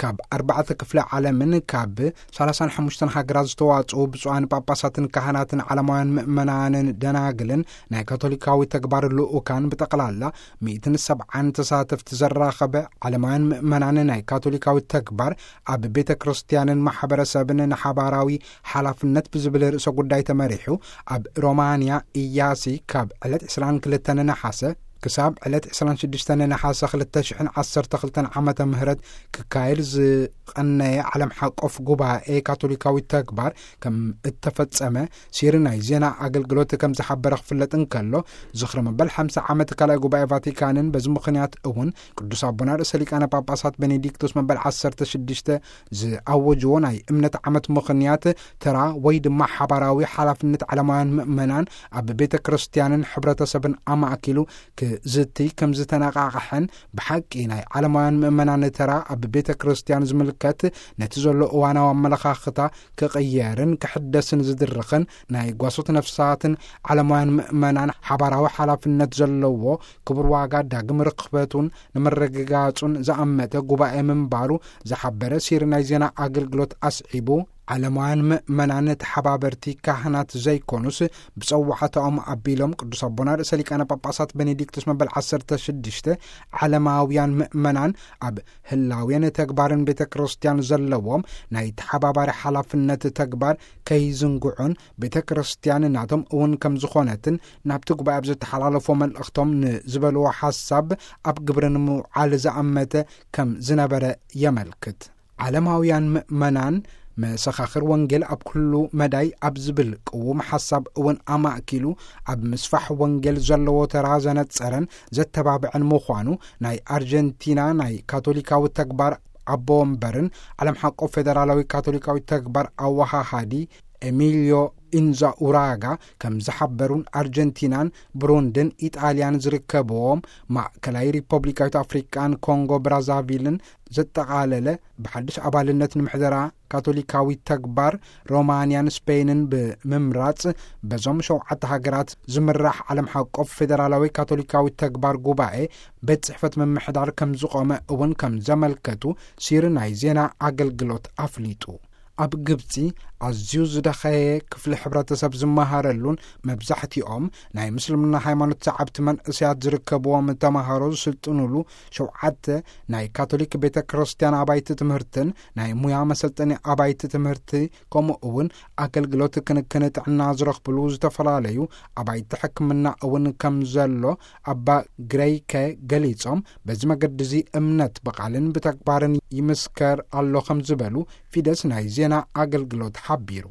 ካብ ኣርባዕተ ክፍለ ዓለምን ካብ ሰላሳን ሓሙሽተን ሃገራት ዝተዋጽኡ ብፁዓን ጳጳሳትን ካህናትን ዓለማውያን ምእመናንን ደናግልን ናይ ካቶሊካዊ ተግባር ልኡካን ብጠቕላላ ሚእትን ሰብዓን ተሳተፍቲ ዘራኸበ ዓለማውያን ምእመናን ናይ ካቶሊካዊ ተግባር ኣብ ቤተ ክርስቲያንን ማሕበረሰብን ንሓባራዊ ሓላፍነት ብዝብል ርእሰ ጉዳይ ተመሪሑ ኣብ ሮማንያ ኢያሲ ካብ ዕለት ዕስራን ክልተን ነሓሰ ክሳብ ዕለት ዕስራን ሽዱሽተን ነሓሰ ክልተ ሽሕን ዓሰርተ ክልተን ዓመተ ምህረት ክካየድ ዝቐነየ ዓለም ሓቆፍ ጉባኤ ካቶሊካዊ ተግባር ከም እተፈጸመ ሲሪ ናይ ዜና ኣገልግሎት ከም ዝሓበረ ክፍለጥ እንከሎ፣ ዝኽሪ መበል ሓምሳ ዓመት ካልኣይ ጉባኤ ቫቲካንን በዚ ምኽንያት እውን ቅዱስ ኣቦና ርእሰ ሊቃነ ጳጳሳት ቤኔዲክቶስ መበል ዓሰርተ ሽዱሽተ ዝኣወጅዎ ናይ እምነት ዓመት ምኽንያት ተራ ወይ ድማ ሓባራዊ ሓላፍነት ዓለማውያን ምእመናን ኣብ ቤተ ክርስቲያንን ሕብረተሰብን ኣማእኪሉ ክዝትይ ከም ዝተነቓቕሐን፣ ብሓቂ ናይ ዓለማውያን ምእመናን ተራ ኣብ ቤተ ክርስቲያን ዝምልከት ነቲ ዘሎ እዋናዊ ኣመለኻኽታ ክቕየርን ክሕደስን ዝድርኽን ናይ ጓሶት ነፍሳትን ዓለማውያን ምእመናን ሓባራዊ ሓላፍነት ዘለዎ ክቡር ዋጋ ዳግም ርኽበቱን ንምርግጋጹን ዝኣመተ ጉባኤ ምንባሩ ዝሓበረ ሲሪ ናይ ዜና ኣገልግሎት ኣስዒቡ፣ ዓለማውያን ምእመናን ተሓባበርቲ ካህናት ዘይኮኑስ ብጸዋዕታኦም ኣቢሎም ቅዱስ ኣቦና ርእሰ ሊቃነ ጳጳሳት ቤኔዲክቶስ መበል ዓሰርተ ሽዱሽተ ዓለማውያን ምእመናን ኣብ ህላዌን ተግባርን ቤተ ክርስቲያን ዘለዎም ናይ ተሓባባሪ ሓላፍነት ተግባር ከይዝንግዑን ቤተ ክርስቲያን ናቶም እውን ከም ዝኾነትን ናብቲ ጉባኤ ኣብ ዘተሓላለፎ መልእኽቶም ንዝበልዎ ሓሳብ ኣብ ግብሪ ንምውዓል ዝኣመተ ከም ዝነበረ የመልክት። ዓለማውያን ምእመናን መሰኻኽር ወንጌል ኣብ ኩሉ መዳይ ኣብ ዝብል ቅዉም ሓሳብ እውን ኣማእኪሉ ኣብ ምስፋሕ ወንጌል ዘለዎ ተራ ዘነጸረን ዘተባብዐን ምዃኑ ናይ ኣርጀንቲና ናይ ካቶሊካዊ ተግባር ኣቦ ወንበርን ዓለም ሓቆ ፌደራላዊ ካቶሊካዊ ተግባር ኣወሃሃዲ ኤሚልዮ ኢንዛኡራጋ ከም ዝሓበሩን ኣርጀንቲናን ብሩንድን ኢጣልያን ዝርከብዎም ማእከላይ ሪፐብሊካዊት ኣፍሪቃን ኮንጎ ብራዛቪልን ዘጠቓለለ ብሓድሽ ኣባልነት ንምሕደራ ካቶሊካዊ ተግባር ሮማንያን ስፔንን ብምምራጽ በዞም ሸውዓተ ሃገራት ዝምራሕ ዓለም ሓቆፍ ፌደራላዊ ካቶሊካዊ ተግባር ጉባኤ ቤት ጽሕፈት ምምሕዳር ከም ዝቖመ እውን ከም ዘመልከቱ ሲሪ ናይ ዜና ኣገልግሎት ኣፍሊጡ። ኣብ ግብጺ ኣዝዩ ዝደኸየ ክፍሊ ሕብረተሰብ ዝመሃረሉን መብዛሕትኦም ናይ ምስልምና ሃይማኖት ሰዓብቲ መንእሰያት ዝርከብዎም ተማሃሮ ዝስልጥኑሉ ሸውዓተ ናይ ካቶሊክ ቤተ ክርስቲያን ኣባይቲ ትምህርትን ናይ ሙያ መሰልጠኒ ኣባይቲ ትምህርቲ ከምኡ እውን ኣገልግሎት ክንክን ጥዕና ዝረኽብሉ ዝተፈላለዩ ኣባይቲ ሕክምና እውን ከም ዘሎ ኣባ ግረይከ ገሊጾም፣ በዚ መገዲ እዚ እምነት ብቓልን ብተግባርን ይምስከር ኣሎ ከም ዝበሉ ፊደስ ናይ ዜና ኣገልግሎት ሓቢሩ።